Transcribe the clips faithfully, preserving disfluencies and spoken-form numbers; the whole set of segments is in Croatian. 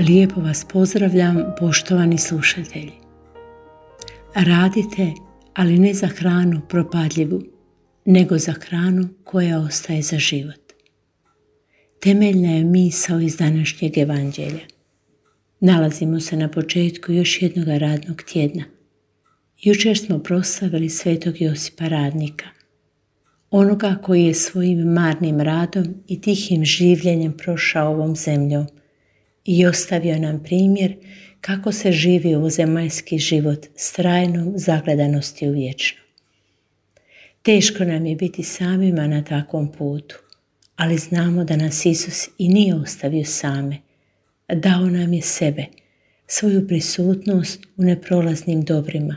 Lijepo vas pozdravljam, poštovani slušatelji. Radite, ali ne za hranu propadljivu, nego za hranu koja ostaje za život. Temeljna je misao iz današnjeg evanđelja. Nalazimo se na početku još jednog radnog tjedna. Jučer smo proslavili svetog Josipa Radnika, onoga koji je svojim marnim radom i tihim življenjem prošao ovom zemljom i ostavio nam primjer kako se živi ovozemaljski život s trajnom zagledanosti u vječno. Teško nam je biti samima na takvom putu, ali znamo da nas Isus i nije ostavio same. Dao nam je sebe, svoju prisutnost u neprolaznim dobrima,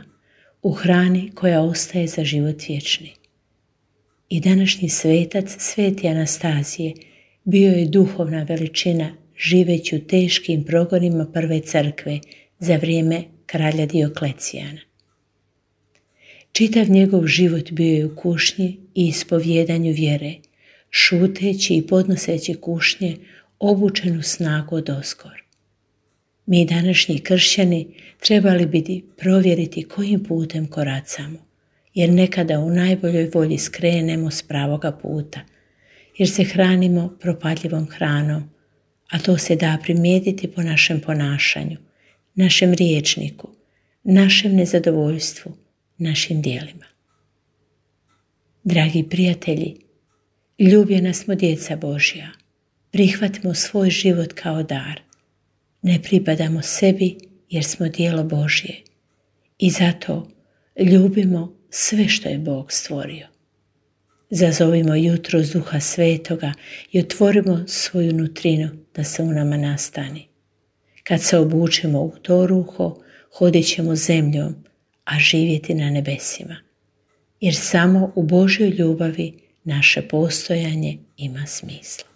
u hrani koja ostaje za život vječni. I današnji svetac, sveti Anastazije, bio je duhovna veličina živeći u teškim progonima prve crkve za vrijeme kralja Dioklecijana. Čitav njegov život bio je u kušnji i ispovjedanju vjere, šuteći i podnoseći kušnje obučenu snagu odoskor. Mi današnji kršćani trebali bi provjeriti kojim putem koracamo, jer nekada u najboljoj volji skrenemo s pravoga puta, jer se hranimo propadljivom hranom, a to se da primijetiti po našem ponašanju, našem rječniku, našem nezadovoljstvu, našim djelima. Dragi prijatelji, ljubljena smo djeca Božja, prihvatimo svoj život kao dar. Ne pripadamo sebi jer smo djelo Božje i zato ljubimo sve što je Bog stvorio. Zazovimo jutro Duha Svetoga i otvorimo svoju nutrinu da se u nama nastani. Kad se obučemo u to ruho, hodit ćemo zemljom, a živjeti na nebesima. Jer samo u Božjoj ljubavi naše postojanje ima smisla.